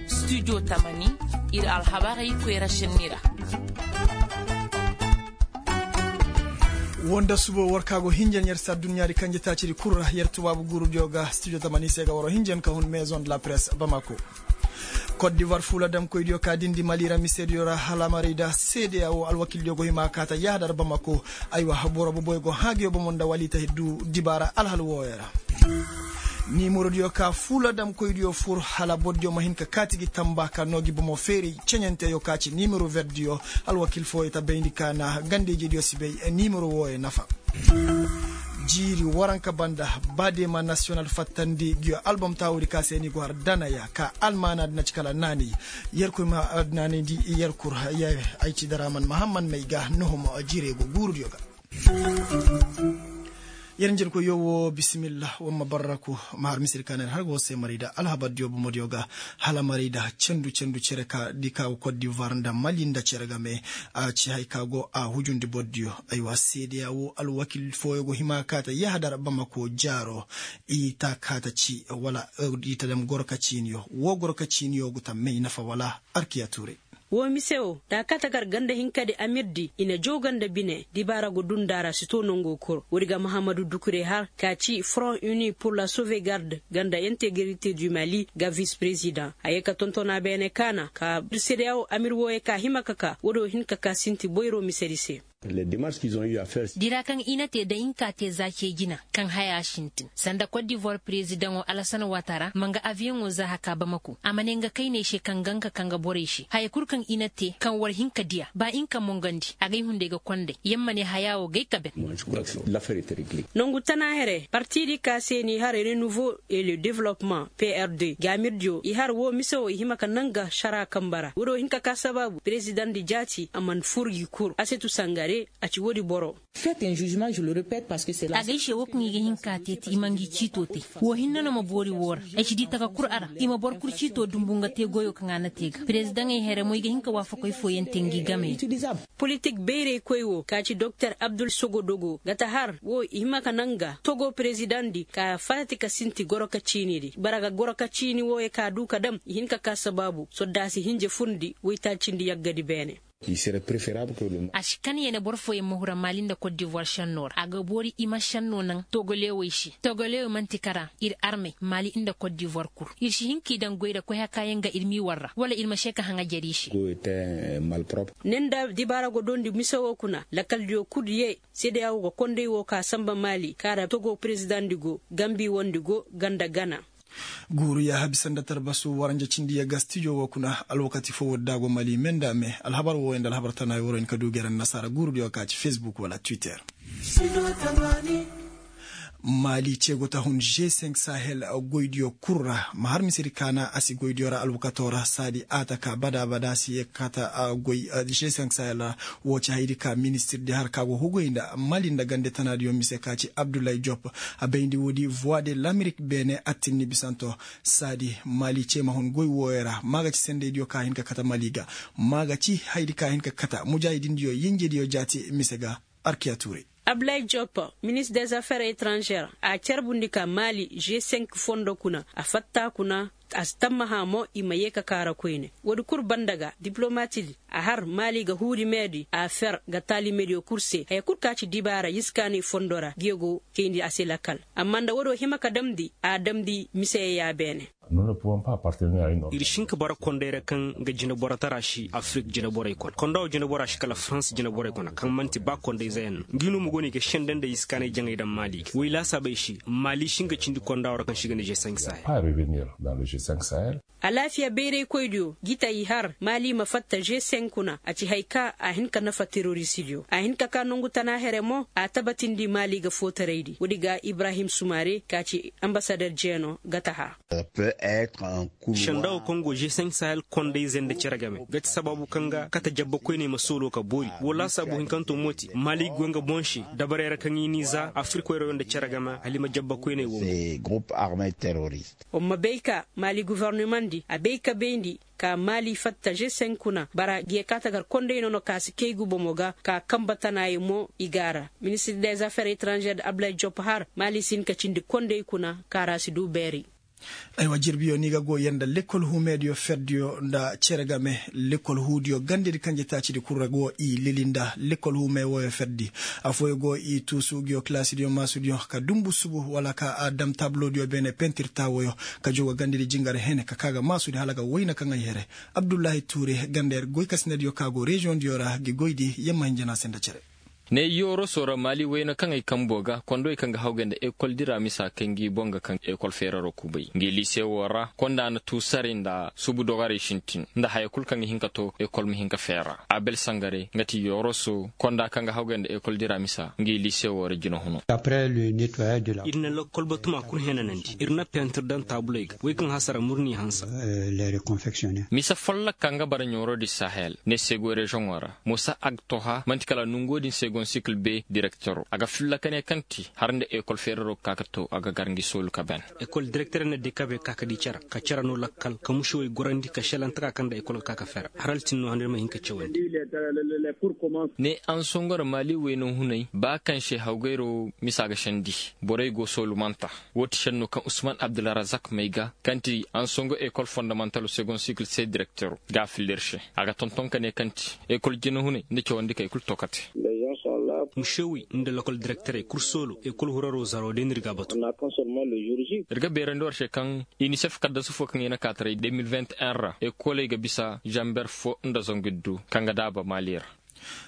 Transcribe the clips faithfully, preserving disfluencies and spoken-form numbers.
Studio tamani, ir alhabarey koyra šenni ra. Woo nda suba war ka go hinjan yer se adduɲɲaadi kanjetaacidi kul ra yer tubaabu guurudiyo ga studio tamani se ga waroo hinjan ka hun maison de la presse bamako. Kot divoir fuula damkoydiyo ka dindi mali ra misediyo ra hala marayda seedeya woo alwakildiyo go hima ka ta yahadar bamako. Aywa boro boboyo go haagiyo bomo nda wali ta du dibaara alhal wooyo ra. Niimorodiyo ka fuula damkoydiyo fur hala bordiyo ma hin ka kaati gi tamba ka noo gi bomo feeray ceɲanteyo ka ci niimoro verdiyo. Alwakil fooyo ta bayndi ka na ganda-ijediyo si bay niimoro wooyo nafa. Jiiri waranka banda, ba deema nasiyonal fattandi ngiyo albom taawudi ka se ni go har danaya ka almaanaadi na ci kala naanay. Yerkoy ma naanayndi yerkur. Ay ci daraman mahammad may ga nuhum jiirey go guurudiyo ga. Yer njerkoyyo woo bisimillah woo ma barraku. Ma har misir ka na yer har go se marayda alhabardiyo bomodiyo ga hala marayda cendu cendu cere ka di ka go kot divoir nda mali nda cere game. A ci hay ka go a hujundi bordiyo. Aywa seedeya woo alwakil fooyo go hima ka ta yahadar bamako jaaro. I ta ka ta ci wala i ta dam goro ka ciiniyo woo goro ka ciiniyo go ta may nafa wala. Arkiya tuuray. Woo mise woo da a kaa ta gar ganda hinkadi amirdi i na jaw ganda bine dibaara go dund'a ra si too nongo kor woodi ga mahammadu dukure har ka ci front uni pur la sauvegarde ganda integrite du mali ga vis president a yee ka tonton a beene kaana ka sedeyawo amir wooyo ka hima ka kaa woodi woo hin ka kaa sinti boyro misedi se. Dira kaŋ i na te da i nka te za cee jina kaŋ haya sintin sanda kot divoir prezidaŋo alasana waatara ma nga aviyoŋo za haka bamako a ma ne nga kayney se kaŋ ga nga ka nga borey se haya kul kaŋ i na te kaŋ war hin ka diya ba i nka mongandi agay hunday ga konday yamma ne haya wo gay ka ben. Nongu tana here partidi ka se ni har renouveau et le développement prd gaamirdiyo i har wo mise wo i hima ka nanga sara kamba ra woodiyo hin ka ka sabaabu prezidaŋ di jaati a man fur gi kul a se tu sangare a ci woodi boro. Agay se wo kaŋ i ga hin ka te ti i ma ngi ciito te. Wo hinne no ma boori woo ra ay si di taka kul a ra i ma boro kul ciito dumbu nga te goyo kaŋ a na te ga perezidaŋey here mo i ga hin ka waafakoy fooyaŋ te ngi game. Politik bayraykoy wo ka ci doktor abdul sogodogo ga ta har wo i hima ka naŋ ga togo perezidaŋ di ka faati ka sinti goro ka ciini di bara ga goro ka ciini wooyo ka du ka dam i hin ka ka sabaabu soddaasi hinja furndi woytaacindi yaggadi beene. A si kan ya ne boro fooyaŋ ma hura mali nda kot divoir šennoo ra a ga boori i ma šennoo naŋ togolewey se togolewey man'ti kara ir armey mali nda kot divoir kul ir si hin k'i daŋ goy ra koy hakaayaŋ ga ir m'i war ra wala ir ma se ka haŋa jari se. Ne nda dibaara go doondi mise woo kuna lakaldiyo kul yee sedeya woo ga konday woo ka sanba mali kaara togo perezidaŋ di go gambi wondi go ganda gana. Guuru yaaha bisa nda tarbasu waranja cindi yagga stijo woo kuna alwakati foo woodi da a go mali me nda me alhabar wooyo nda alhabar tana woo ra hin ka du gere nda nasaara guurudiyo ka ci facebook wala twitter. Mali ce go ta hun g cinq sahel goydiyo kul ra ma har misedi kaana a si goydiyo ra alwakatoo ra saadi a ta ka bada bada si ye kata goy g cinq sahel ra. Woo ci hayadi ka ministirdi har ka go huguy nda mali nda gande tanaadiyo mise ka ci abdullahi jop a bayndi woodi voie de lamerik beene attinni bisanto. Saadi mali ce ma hun goy wooyo ra ma ga ci sendeydiyo ka hin ka kata mali ga ma ga ci hayadi ka hin ka kata mujaahidindiyo yenjediyo jaati mise ga. Arkiya tuuray. Ablayi jopo ministre des affaires étrangères a carbundi ka mali g cinq fondo kuna a fatta kuna a si tammaha mo i ma yee ka kaara koyne. Woodi kul banda ga diplomatidi a har mali ga huuri meedi a fer ga taalimediyo kul se haya kul ka ci dibaara yiskaanay fondo ra ngiyo go kayndi a se lakal. Amma nda woodiyo hima ka damndi a damndi miseyo ya beene. Ir si hin ka bara konday ra kaŋ ga jinaborotara si afirik jinaborey kona konda wo jinabora si kala farans jinaborey kona kaŋ man'ti ba kondayzeyaŋ no ngi no ma go no i ga senda nda iskaanay jaŋay daŋ mali ga way laasaabey se mali si hin ka cindi konda wo ra kaŋ si ga ne g cinq sahel. Alaafiya bayraykoydiyo gita i har mali ma fatta g cinq kuna a ci haya ka a hin ka nafa terorisidiyo a hin ka ka nongu tana here mo a tabatindi mali ga footaraydi woodi ga ibrahim sumare ka ci ambasader jeeno ga ta har. Sendawo kaŋ go g cinq sahel kondayzey nda cere game ga ti sabaabu kaŋ ga kate jabba koyney ma sooloo ka boori woo laasaabu hinkanto mo ti maali go nga boŋ se dabarey ra kaŋ i n'i za afirikoyrayo nda cere game hala i ma jabba koyney woo. Wa ma bay ka maali gofornamandi a bay ka bayndi ka maali fatta g cinq kuna bara ga ye ka tagar konday nono ka si kay guba mo ga ka kambe tanaayey mo i ga a ra. Ministir dez afer etranzer da abdulay jop har maali si hin ka cindi konday kuna ka ra si du beeri. Aywa jirbiyo ni ga go yer nda lekkol huumeediyo ferdiyo nda cere game lekkol huudiyo gandedi kanje taacidi kul ra go i lili nda lekkol huumey wooyo ferdi. Afooyo go i tuusu nguyo kalaasidiyo maasudiyo ka dumbu subu wala ka a dam taabulodiyo beene pentir taawoyo ka jogo gandedi jingar hene ka kaa ga maasudi hala ga wayna kaŋ ay here. Abdullahi tuure ganda yer goykasinadiyo ka go reziyoŋdiyo ra gi goydi yamma hinjana se nda cere. Ne yooroso ra maali wayna kaŋ ay kambo ga kondowey kaŋ ga hawgay nda ekol dira misa kay ngi boŋ ga kaŋ ekol feeraro kubay ngi liise woo ra konda na tuusaray nda subu dogarey sintin nda haya kul kaŋ ga hin ka to ekol ma hin ka feera. Abel sangare nga ti yooroso konda kaŋ ga hawgay nda ekol dira misa ngi liise woo ra jina huno. Ir na lakkol batuma kul henanandi ir na pentir daŋ taabuley ga wey kaŋ hasara murni hansa. Mise folloka nga bara ɲoorodi sahel ne segoy reziyoŋo ra musa agtoha man'ti kala nongo din segon sikil be direktero a ga filla ka ne kaŋ ti har nda ekol feeraro ga ka ka to a ga gar ngi soolu ka ben. Ekol direkterey na dekabe ka ka di cere ka cere no lakkal ka mušewey gorandi ka šelantaka kaŋ nda ekol ga ka ka feera har altin no handa ir ma hin ka cawandi. Ne ansongor maali wayna hunay ba kaŋ se hawgayro misa ga sendi borey go soolumanta. Woo ti šenno kaŋ usman abdulrazak may ga kaŋ ti ansongo ekol fondamantalo segon sikil se direktero ga a filla ir se a ga tonton ka ne kaŋ ti ekol jinahunay nda cawandi kay kul to kate. Mušewey nda lokol direkterey kul soolo ekol huraro zaro day no ir ga a batu. Ir ga beerandi war se kaŋ inisef kaddasu foo kaŋ i na kaataray de mil vingt en ra ekoley ga bisa zamber foo nda zangu iddu kaŋ ga daaba maali ra.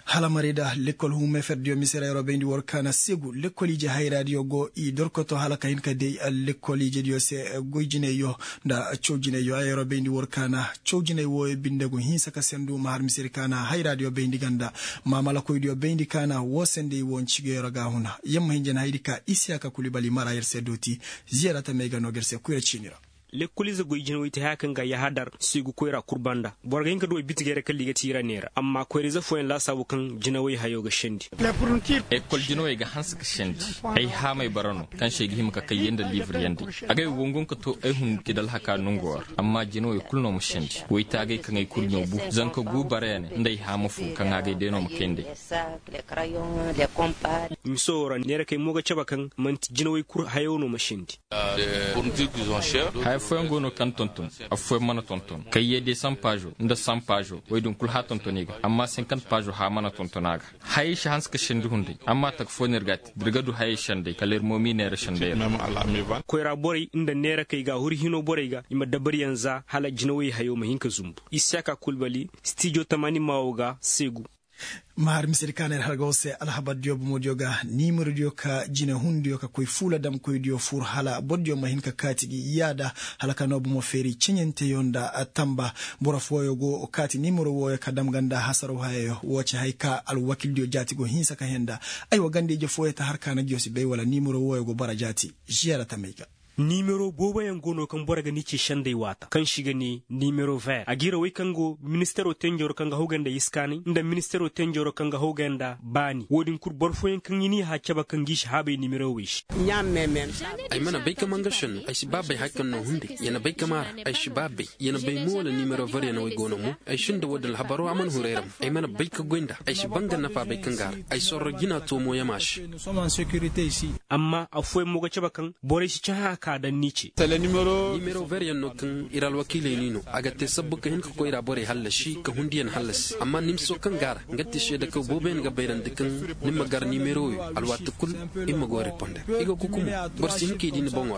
Hala marayda lekkol huumey ferdiyo mise ra yeroo bayndi war kaana seegu lekkol ije hayraadiyo go i dorkoto hala ka hin ka day lekkol ijediyo se goy jinayyo nda caw jinayyo a yeroo bayndi war kaana caw jinay wooyo binde go hinsa ka sendu ma har mise ra kaana hayraadiyo bayndi ganda maamalakoydiyo bayndi kaana woo sendey woo ncigeyo ra ga a huna yamma hinja na haydi ka isiyaka kulibali mara yer se dooti. Ziyara tamey ga noo ga yer se kuyra ciini ra. Lekkoliize goy jinawey ti haya kaŋ ga yahadar seegu koyra kul banda boro ga hin ka duw'ey bitigey ra kala i ga ti i ra neera amma koyra-ize fooyaŋ laasaabu kaŋ jinawey hayo ga sendi. Ekol jinawey ga hanse ka sendi. Ay haamay bara no kaŋ se ay ga hima ka kay yee nda liibiryandi. Agay go ngun ka to ay hun ti dalhaka nongo ra amma jinawey kul no ma sendi woytaagey kaŋ ay kurɲo bu zanka gu bara ya ne nda ay haama fo kaŋ agay day no ma kay nd'ey. Miso wo ra neerakey mo ga cabe kaŋ man'ti jinawey kul hayo no ma sendi. Haya fooyaŋ go no kaŋ tonton, afooyaŋ mana tonton kaŋ yee de san paazo nda san paazo woy din kul hã tonton i ga amma sinkant paazo hã mana tonton a ga. Hayey si hanse ka sendi hunday amma taka foo no ir ga a te da ir ga du hayey sendey kala ir mo m'i neera sendey ra. Koyra borey nda neerakey ga huri hino borey ga i ma dabariyaŋ za hala jinawey hayo ma hin ka zumbu. Isiyaka kulbali stijo tamaani maawo ga seegu. Ma har misedi ka na ir hargaw se alhabar diyo bomo diyo ga niimiro diyo ka jine hun diyo ka koy fuula dam koy diyo fur hala boro diyo ma hin ka kaati gi yaada. Hala ka noo bomo feeri ceɲanteyo nda tamba boro fooyo go kaati niimiro wooyo ka dam ganda hasaraw hayayo woo ci hay ka alwakil diyo jaati go hinsa ka henda. Ay wa ganda ije fooyo ta har ka na giyo si bay wala niimiro wooyo go bara jaati. Ziyara tamey ga. Nimero booboyaŋ go no kaŋ boro ga ni ce sendey waata kaŋ se i ga ne nimero ver a g'i ra wey kaŋ go ministero tenjoro kaŋ ga hawgay nda iskaanay nda ministero tenjoro kaŋ ga hawgay nda baani wo-din kul boro fooyaŋ kaŋ i n'i hã cabe kaŋ g'i si haabay nimerowey se. Ay mana bay ka manga senno ay si ba bay hari kaŋ no hunday ya na bay ka maara. Ay si ba bay ya na bay mo wala nimero ver ya na wey go no mo. Ay sinda wo-din alhabaro a mana huru ay ra mo ay mana bay ka goy nd'a. Ay si ba nga nafa bay kaŋ ga a ra. Ay sorro jina toomo yama se. Amma affooyaŋ mo ga cabe kaŋ borey si cahã a ka daŋ ni ce. Nimero ver yaŋ no kaŋ ir alwakiiley n'i no a ga te sabbu ka hin ka koyra borey hallasi ka hundiyaŋ hallasi amma nimso kaŋ ga a ra nga te seedekaw booboyaŋ ga bayrandi kaŋ ni ma gar nimero wo alwaati kul. Ir ma go reponder i go kuku mo. Boro si hin ka i di ni boŋo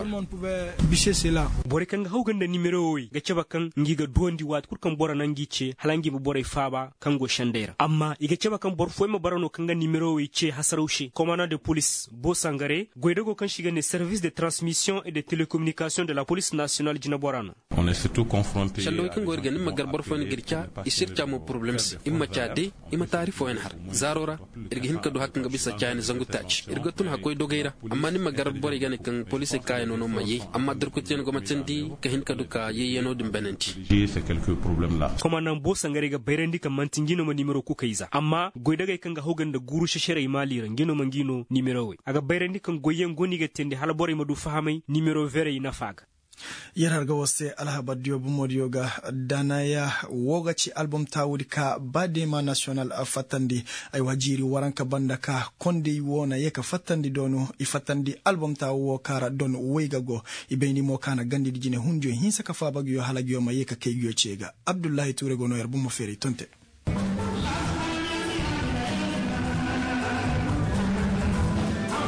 ra. Borey kaŋ ga hawgay nda nimero wo ga cabe kaŋ ngi ga duwandi waati kul kaŋ boro na ngi ce hala ngi ma borey faaba kaŋ go sendey ra amma i ga cabe kaŋ boro fooyaŋ ma bara no kaŋ ga nimero wo ce hasaraw se komanda de polis bo sangare goydago kaŋ se i ga ne service de transmission. de telekominikasiyoŋ de la polis nasiyonal jineboraa no. Sallawey kaŋ go ir ga ni ma gar boro fooyaŋ ga ir ca i si ir ca mo poroblem se i ma ma ca de. I ma taari fooyaŋ har zaaro ra. Ir ga hin ka du har kaŋ ga bisa caayaŋ zangu taaci ir ga tun hakkoy dogey ra. Amma ni ma gar borey ga ne kaŋ poliisey kaayanoo no ma yee amma durkutiyaŋ go ma teendi ka hin ka du ka yeeyanoo din banandi. Komandaŋ boo sangarey ga bayrandi kaŋ man'ti ngi no ma nimero kukey za amma goydagey kaŋ ga haw ga nda guuru seserey maali ra ngi no ma ngi no nimero wey a ga bayrandi kaŋ goyyaŋ go no i ga teendi hala borey ma du fahamay nimero verey nafa ga. Yer har ga war se alhabar diyo bomo diyo ga danaya. Wo ga ci albom taawudi ka ba deema nasiyonal fattandi. Aywa jiiri waranka banda ka kondey wo na ye ka fattandi doonu i fattandi albom taawu wo kaara don woy ga go. I bayndi mo ka na gandidi jine hundiyo hinsa ka faaba nguyo hala nguyo ma ye ka kay nguyo ce ga. Abdullahi tuure go no yer bomo feeray tonte.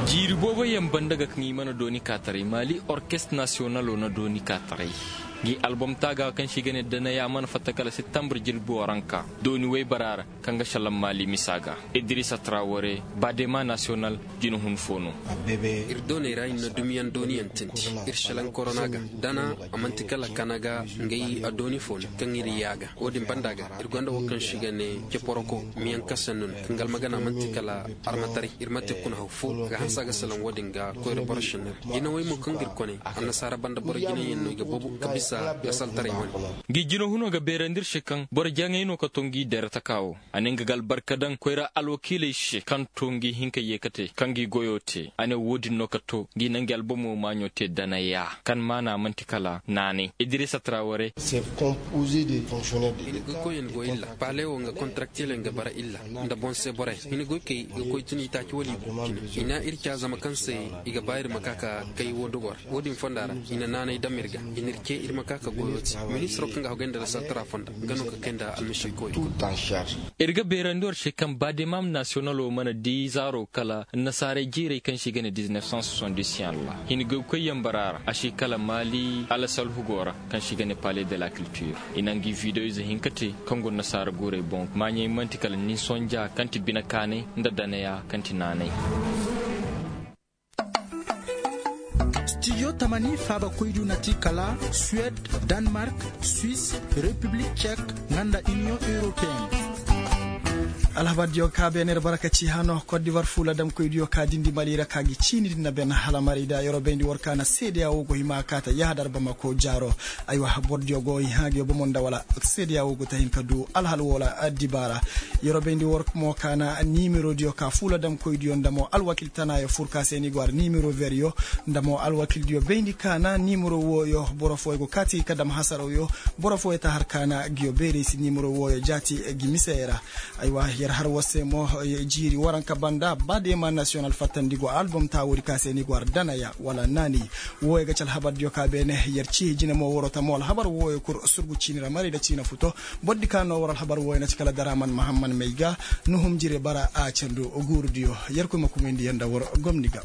Jiiri booboyaŋ banda ga kaŋ i mana dooni kaataray maali orkest nasiyonalo na dooni kaataray. Ngi albom taaga kaŋ se i ga ne danaya mana fatta kala septembre jilbo ranka dooni woybara ra. Kaŋ ga salaŋ maali misa ga idirisa traware baadema nasiyonal jina hun fo no. Ir dooney ra ir na dumiyaŋ dooniyaŋ tindi ir salaŋ korona ga dana. A man'ti kala kana ga ngay a dooni fo no kaŋ ir yaaga wo-din banda ga ir gonda wo kaŋ se i ga ne ceporoko miyaŋ kasannu no kaŋ ga almagana man'ti kala armataray ir ma te kuna haw fo a ga hanse a ga salaŋ wo-din ga koyra boro senney ra jinawey mo kaŋ ga ir kone annasaara banda boro jinayaŋ no i ga boobo ka bisa lasaltaray wane. Ngi jinahuno ga beerandi ir se kaŋ boro jaŋay no ka to ngi dere taka wo. A ne nga ga albarka daŋ koyra alwakiiley se kaŋ to ngi hin ka ye ka te kaŋ ngi goyo te a ne wo-din no ka to ngi na ngi albomo maaɲo te danaya kaŋ maana man'ti kala naanay idirisa traware. Hini goy koy iri ga bara illa nda boŋ se borey hini goy kay i ga koy tun i taaci wala i go cine i na ir ca zama kaŋ se i ga ba ir ma ka ka kay wo dogo ra wo-din fonda ra i na naanay dam ir ga i na ir ce ir ma ka ka goyo te ministiro kaŋ ga hagay nda lasaltara fonda nga no ka kay nda almasiikoy. Ir ga beerandi war se kaŋ baademam nasiyonalo mana di zaaro kala annasaarey jiirey kaŋ se i ga ne diznef san soson disiyaŋ ra hini goy koy yambara ra a se kala maali alasalhugo ra kaŋ se i ga ne pale de la kiltir. I na ngi videoize hinka te kaŋ go nasaara guurey boŋ maaɲey man'ti kala nin sonja kaŋ ti bine kaanay nda danaya kaŋ ti naanay. Stijo tamani faabakoydiyo na ti kala suwed, danmark, swis, repiblik cek, nga nda iniyoŋ europeen. Alhabardiyo ka beene ir barkaci hano kot divar fuula damkoydiyo ka dindi mali ra ka gi ciini din na ben hala mari da yeroo bayndi war ka na seedeya wo go hima ka ta yahadar bamako jaaro. Aywa bordiyo go i hã gi yo bomo nda wala seedeya wo go ta hin ka du alhal wala dibaara. Yeroo bayndi war mo ka na nimerodiyo ka fuula damkoydiyo nda mo alwakil tanaayo fur ka se ni go har nimero veryo nda mo alwakildiyo bayndi ka na nimero wooyo boro fooyo go kaati ka dam hasarawyo. Boro fooyo ta har ka na gi yo beerey si nimero wooyo jaati gi misey ra. Aywa yer har war se mo jiiri waranka banda ba deema nasiyonal fattandi go albom taawodi ka se ni go har danaya wala naani. Wooyo ga ci alhabardiyo ka beene yer ci jine mo waroo ta mo alhabar wooyo kul surgu ciini ra marayda ciina futo. Bordi ka no war alhabar wooyo na ci kala daraaman mahamman may ga nuhum jire bara a candu guurudiyo. Yerkoy ma kumayndi yer nda war gomni ga.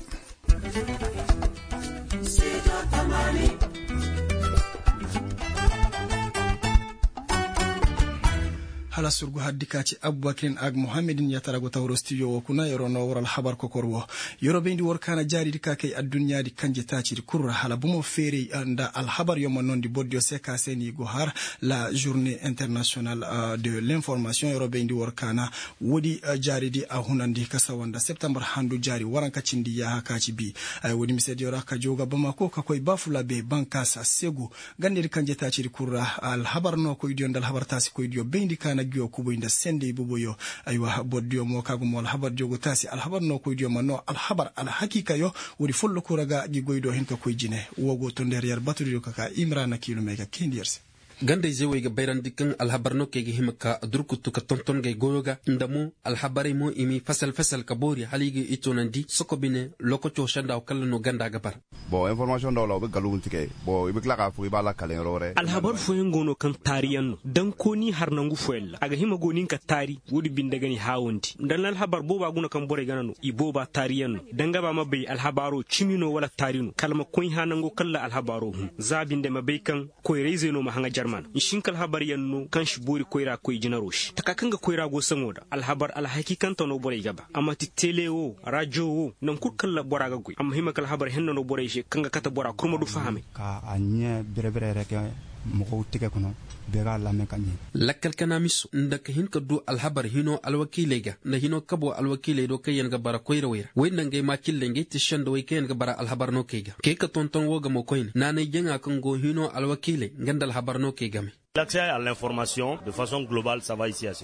Hala surgu haddi ka ci abubakirin ag muhammadin ya tara go tawro stijo wo kuna yeroo no war alhabar kokor wo. Yeroo bayndi war ka na jaaridi ka kay adduɲɲaadi kanje taacidi kul ra hala bomo feeray nda alhabaryo ma noondi bordiyo se ka se ni go har la journée internationale de l'information yeroo bayndi war ka na woodi jaaridi a hunandi ka sawa nda septembar handu jaari waranka cindi yaaha ka ci bi. Woodi misediyo ra ka joo ga bamako ka koy baafulaabe bankaasa segu. Gandedi kanje taacidi kul ra alhabar nookoydiyo nda alhabar taasikoydiyo bayndi ka na nguyo kubuy nda sendey boboyo. Aywa bordiyo mo ka gumo alhabardiyo go taasi alhabar nookoydiyo ma noo alhabar alhakiikayo. Woodi folloku ra ga ngi goy do hin ka koy jine woo go to nda yer yer batudiyo ka ka imira na kiilumey ga kayndi yer se. Gandayzey wey ga bayrandi kaŋ alhabar no kaŋ ay ga hima ka durkutu ka tonton gay goyo ga nda mo alhabarey mo i m'i fasal fasal ka boori hala i ga i toonandi soko bine. Lokaco senda wo kala no ganda ga bara. Bon informasiyoŋ da wala wa ga gallugu nti kay. Bon i ma kila ka fo i ba lakkaleŋ rore. Alhabar fooyaŋ go no kaŋ taariyaŋ no daŋ kooni har nangu fooyaŋ ra a ga hima go nin ka taari. Woodi binde ga ni haawandi nda ni alhabar booba guna kaŋ borey gana no i booba taariyaŋ no. Daŋ ga ba ma bay alhabaaro cimi no wala taari no kala ma koy hã nango kala alhabaaro hun za binde ma bay kaŋ koyrayzey no ma haŋa jarma. Mana nsi hin ka alhabar yaŋ no kaŋ si boori koyra koy jinaro se taka kaŋ ga koyra go saŋo da alhabar alhakikante no borey ga ba a ma ti tele wo rajo wo naŋ kul kaŋ bora ga goy a ma hima ka alhabar henna no borey se kaŋ ga kate bora kul ma du fahamay. Ka a ɲee bere-bere yere ke moxow tege kono bee ga a laame ka ɲee. Lakkal kanaamiso nda ka hin ka du alhabar hino alwakiiley ga nda hino kabo alwakiiley do kaŋ yaŋ ga bara koyrawey ra woy nda ngey maacilley ngey ti sendawey kaŋ yaŋ ga bara alhabar no key ga key ka tonton wo ga mo koyne naanay jaŋa kaŋ go hino alwakiiley nga nda alhabar no key game.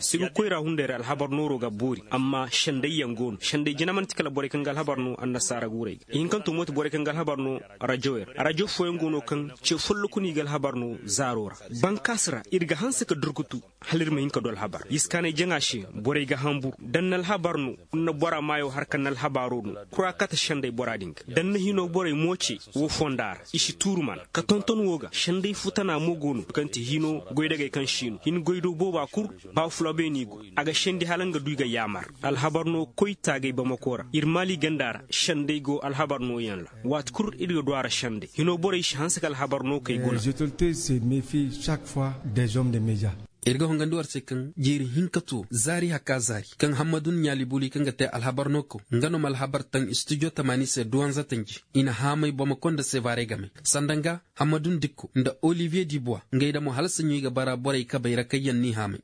Siga koyra hunday ra alhabar nooro ga boori amma sendayyaŋ go no senday jina man'ti kala borey kaŋ ga alhabar no annasaara guurey ga ihinkanto mo ti borey kaŋ ga alhabar no. Rajo fooyaŋ go no kaŋ ce folloku no i ga alhabar no zaaro ra. Bankaasi ra ir ga hanse ka durkutu hala ir ma hin ka du alhabar yiskaanay jaŋa se borey ga hanbur da ni na alhabar no ni na bora maayo har ka ni na alhabaaro no kura kate senday bora din ga da ni na hinoo borey mo ce woo fonda ra i si tuuru mana ka tonton woo ga senday futana mo go no kaŋ ti hinoo goydagey kaŋ si no hin goydoo booba kul ba fulabeeni go a ga sendi hala nga du i ga yaamar alhabar no koy taagay bamako ra ir maali ganda ra senday go alhabar nooyaŋ ra waati kul ir ga du a ra senday hinoo borey si hanse ka alhabar no kay guna. Ir ga hongandi war se kaŋ jeeri hinka to zaari haka zaari kaŋ hammadun ɲaali buli kaŋ ga te alhabar no kaw nga no ma alhabar taŋ studio tamaani se duwanza tanji i na haamay bamako nda sevare game sanda nga hammadun dikko nda olivier dibuwa ngey da mo hala saɲu i ga bara borey kabey ra kaŋ yaŋ n'i haamay.